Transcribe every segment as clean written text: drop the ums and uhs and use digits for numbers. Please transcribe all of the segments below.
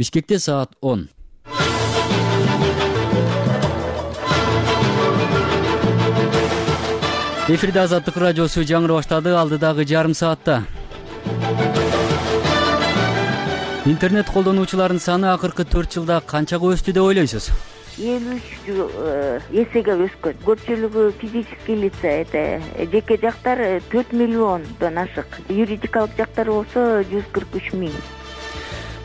Бишкекте саат 10. Эфирде Азаттык радиосу жаңыры баштады. Алдыдагы жарым саатта интернет колдонуучулардын саны акыркы 4 жылда канчага өстү деп ойлойсуз? 53 эсеге өскөн. Көпчүлүгү физический лица, это жеке жактар 4 миллиондон ашык. Юридикалык жактар болсо 143 миң.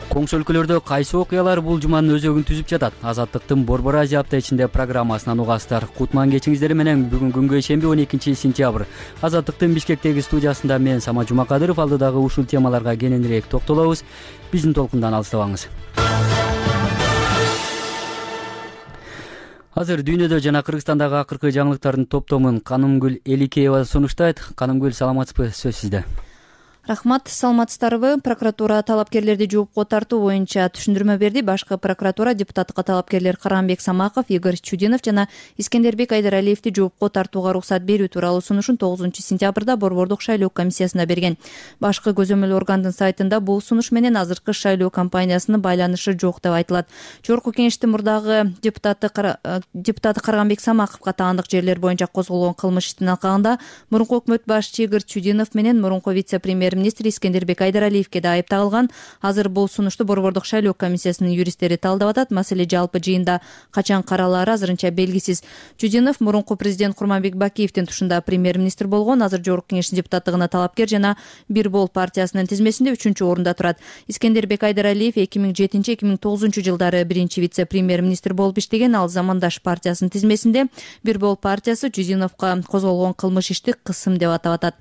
Коңшу өлкөлөрдө кайсы окуялар бул жуманын өзөгүн түзүп жатат? Азаттыктын Борбор Азия апта ичинде программасынан угасыздар. Кутман кечиңиздер менен бүгүн күнгө ишемби 12 сентябрь. Азаттыктын Бишкектеги студиясында мен Сама Жумакадыров алдыдагы ушул темаларга кененирээк токтолобуз. Биздин толкундан алыстабаңыз. Азыр дүйнөдө жана Кыргызстандагы акыркы жаңылыктардын топтомун Канымгүл Эликеева сунуштайт. Канымгүл, саламатсызбы? Сөз сизде. Рахмат, саламатсыздарбы? Прокуратура талапкерлерди жоопко тартуу боюнча түшүндүрмө берди. Башкы прокуратура депутаттыкка талапкерлер Карамбек Самаков, Игорь Чудинов жана Искендербек Айдаралиевди жоопко тартууга уруксат берүү тууралуу сунушун 9 сентябрда Борбордук шайлоо комиссиясына берген. Башкы көзөмөл органдын сайтында бул сунуш менен азыркы шайлоо кампаниясынын байланышы жок деп айтылат. Жогорку кеңештин мурдагы депутаты Карамбек Самаковго таандык жерлер боюнча козголгон кылмыш иштин алкагында мурунку өкмөт башчы Игорь Чудинов менен мурунку вице-премьер министр Искендербек Айдаралиевге да айып тагылган. Азыр бул сунушту Борбордук шайлоо комиссиясынын юристтери талдап атат. Маселе жалпы жыйында качан каралаары азырынча белгисиз. Чудинов мурунку президент Курманбек Бакиевдин тушунда премьер-министр болгон. Азыр Жогорку кеңештин депутаттыгына талапкер жана Бир Бол партиясынын тизмесинде 3-орунда турат. Искендербек Айдаралиев 2007-2009 жылдары биринчи вице-премьер-министр болуп иштеген. Ал Замандаш партиясынын тизмесинде. Бир Бол партиясы Чудиновго козголгон кылмыш ишти кысым деп атап атат.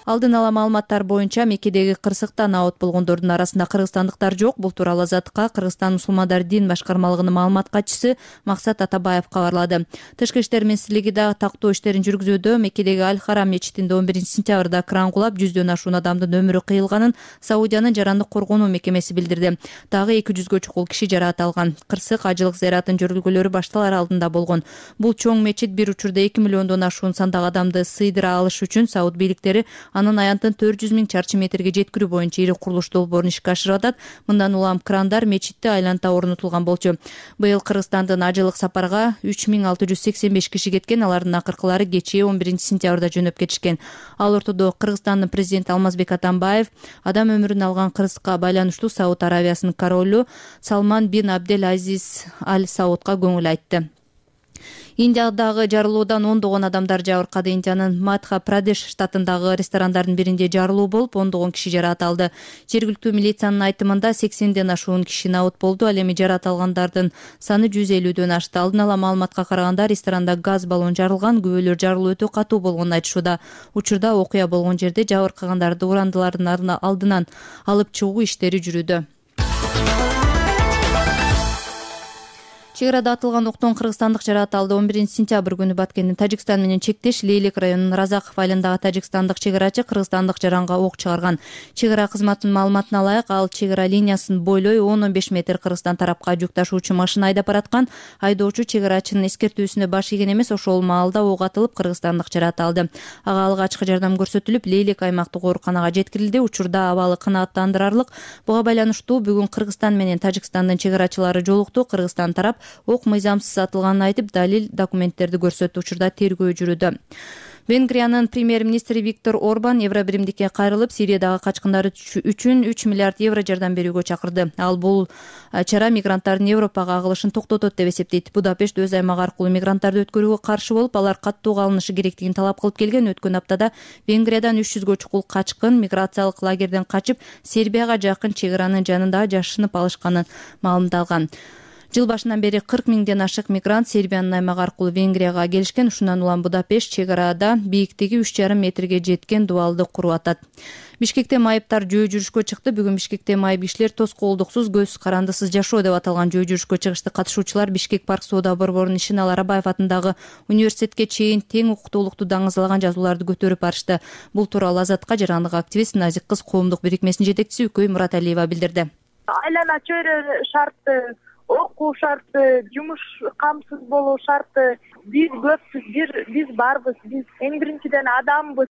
Алдын ала маалыматтар боюнча Меккедеги кырсыктан абот болгондордун арасында кыргызстандыктар жок. Бул тууралуу Азаттыкка Кыргызстан мусулмандар дин башкармалыгынын маалымат катчысы Максат Атабаев кабарлады. Тышкы иштер министрлиги да тактоо иштерин жүргүзүүдө. Меккедеги Аль-Харам мечитинде 11 сентябрда кран кулап 100дөн ашуун адамдын өмүрү кыйылганын Саудиянын жарандык коргонуу мекемеси билдирди. Дагы 200гө чукул киши жараат алган. Кырсык ажылык зыяратын жүргүлөрү башталар алдында болгон. Бул чоң мечит бир учурда 2 миллиондон ашуун сандагы адамды сыйдыра алыш үчүн Сауд бийликтери анын аянтын 400 миң чарчы метрге жеткирүү боюнча ири курулуш долбоорун ишке ашырып атат. Мындан улам крандар мечитте айланта орнотулган болчу. Быйыл Кыргызстандын ажылык сапарга 3685 киши кеткен. Алардын акыркылары кечээ 11 сентябрда жөнөп кетишкен. Ал ортодо Кыргызстандын президенти Алмазбек Атамбаев адам өмүрүн алган кырсыкка байланыштуу Сауд Аравиясынын королу Салман бин Абдел Азиз Аль Саудга көңүл айтты. Индиядагы жарылуудан ондогон адамдар жабыркады. Индиянын Мадхья-Прадеш штатындагы ресторандардын биринде жарылуу болуп, ондогон киши жараат алды. Жергиликтүү милициянын айтымында 80ден ашуун киши абот болду. Ал эми жараат алгандардын саны 150дөн ашты. Алдын ала маалыматка караганда ресторанда газ баллон жарылган. Күбөлөр жарылуу өтө катуу болгонун айтышууда. Учурда окуя болгон жерде жабыркагандарды урандылардын алдынан алып чыгуу иштери жүрүүдө. Чек арада атылган октон кыргызстандык жараат алды. 11 сентябрь күнү Баткендин Тажикстан менен чектеш Лейлек районунун Разаков айылындагы тажикстандык чек арачы кыргызстандык жаранга ок чыгарган. Чек ара кызматынын маалыматына ылайык, ал чек ара линиясын бойлой 10-15 метр Кыргызстан тарапка жүк ташуучу машина айдап бараткан. Айдоочу чек арачынын эскертүүсүнө баш ийген эмес, ошол маалда ок атылып кыргызстандык жараат алды. Ага алгачкы жардам көрсөтүлүп, Лейлек аймактык ооруканага жеткирилди. Учурда абалы канааттандырарлык. Буга байланыштуу бүгүн Кыргызстан менен Тажикстандын чек арачылары жолукту. Кыргызстан тарап ок мыйзамсыз атылганын айтып, далил документтерди көрсөттү. Учурда тергөө жүрүүдө. Венгриянын премьер-министри Виктор Орбан Евробиримдикке кайрылып, Сириядагы качкындар үчүн 3 миллиард евро жардам берүүгө чакырды. Ал бул чара мигранттардын Европага агылышын токтотот деп эсептейт. Будапешт өз аймагы аркылуу мигранттарды өткөрүүгө каршы болуп, алар каттуу калынышы керектигин талап кылып келген. Өткөн аптада Венгриядан 300гө чукул качкын миграциялык лагерден качып, Сербияга жакын чек аранын жанында жашынып алышканын маалымдалган. Жыл башынан бери 40 миңден ашык мигрант Сербиянын аймагы аркылуу Венгрияга келишкен. Ушундан улам Будапешт чек арада бийиктиги 3,5 метрге жеткен дубалды куруп атат. Бишкекте майыптар жөө жүрүшкө чыкты. Бүгүн Бишкекте майып кишилер тоскоолдуксуз, көз карандысыз жашоо деп аталган жөө жүрүшкө чыгышты. Катышуучулар Бишкек парк соода борборунун Ишенал Арабаев атындагы университетке чейин тең укуктуулукту даңазалаган жазууларды көтөрүп барышты. Бул тууралуу Азаттыкка жарандык активист Назик кыз коомдук бирикмесинин жетекчиси Үкөй Мураталиева билдирди. Айлана чөйрө шарты, окуу шарты, жумуш камсыз болуу шарты. Биз көппүз, биз барбыз, биз эң биринчиден адамбыз.